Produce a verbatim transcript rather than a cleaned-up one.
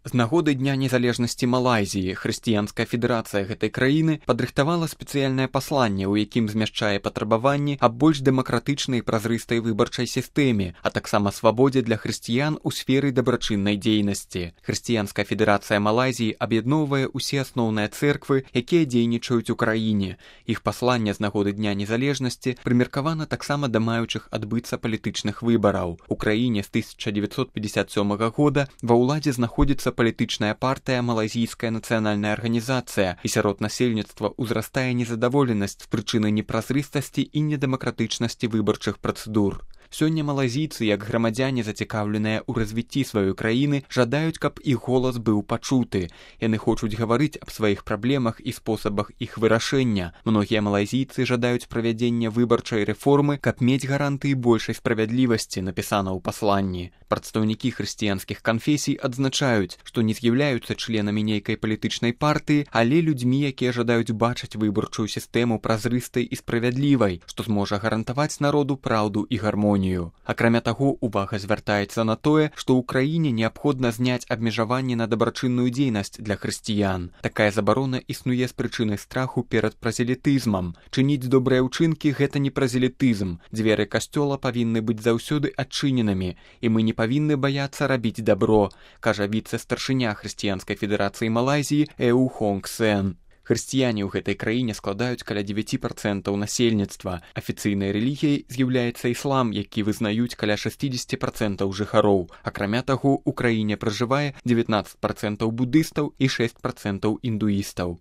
З нагоды Дня незалежнасці Малайзіі хрысціянская федэрацыя гэтай краіны падрыхтавала спецыяльнае пасланне, у якім змяшчае патрабаванні аб больш дэмакратычнай і празрыстай выбарчай сістэме, а таксама свабодзе для хрысціян у сферы дабрачыннай дзейнасці. Хрысціянская федэрацыя Малайзіі аб'ядноўвае ўсе асноўныя цэрквы, якія дзейнічаюць у краіне. Іх пасланне з нагоды Дня незалежнасці прымеркавана таксама да маючых адбыцца палітычных выбараў. У краіне з тысяча дзевяцьсот пятьдесят сёмага года ва ўладзе знаходзіцца палітычная партыя Малайзійская нацыянальная арганізацыя, і сярод насельніцтва ўзрастае незадаволенасць з прычыны непразрыстасці і недэмакратычнасці выбарчых працэдур. Сёння малайзійцы, як грамадзяне, зацікаўленыя ў развіцці сваёй краіны, жадаюць, каб іх голас быў пачуты. Яны хочуць гаварыць аб сваіх праблемах і спосабах іх вырашэння. Многія малайзійцы жадаюць правядзення выбарчай рэформы, каб мець гарантыі большай справядлівасці, напісана ў пасланні. Прадстаўнікі хрысціянскіх канфесій адзначаюць, што не з'яўляюцца членамі нейкай палітычнай партыі, але людзьмі, якія жадаюць бачыць выбарчую сістэму празрыстай і справядлівай, што зможа гарантаваць народу праўду і гармонію. Акрамя таго, увага звяртаецца на тое, што ў краіне неабходна зняць абмежаванні на дабрачынную дзейнасць для хрысціян. Такая забарона існуе з прычыны страху перад празелітызмам. Чыніць добрыя ўчынкі – гэта не празелітызм. Дзверы касцёла павінны быць заўсёды адчыненымі, і мы не павінны баяцца рабіць дабро, кажа віцэ-старшыня хрысціянскай федэрацыі Малайзіі Эу Хонг Сен. Хрысціяне ў гэтай краіне складаюць каля дзевяць працэнтаў насельніцтва. Афіцыйнай рэлігіяй з'яўляецца іслам, які вызнаюць каля шэсцьдзесят працэнтаў жыхароў. Акрамя таго, у краіне пражывае дзевятнаццаць працэнтаў будыстаў і шэсць працэнтаў індуістаў.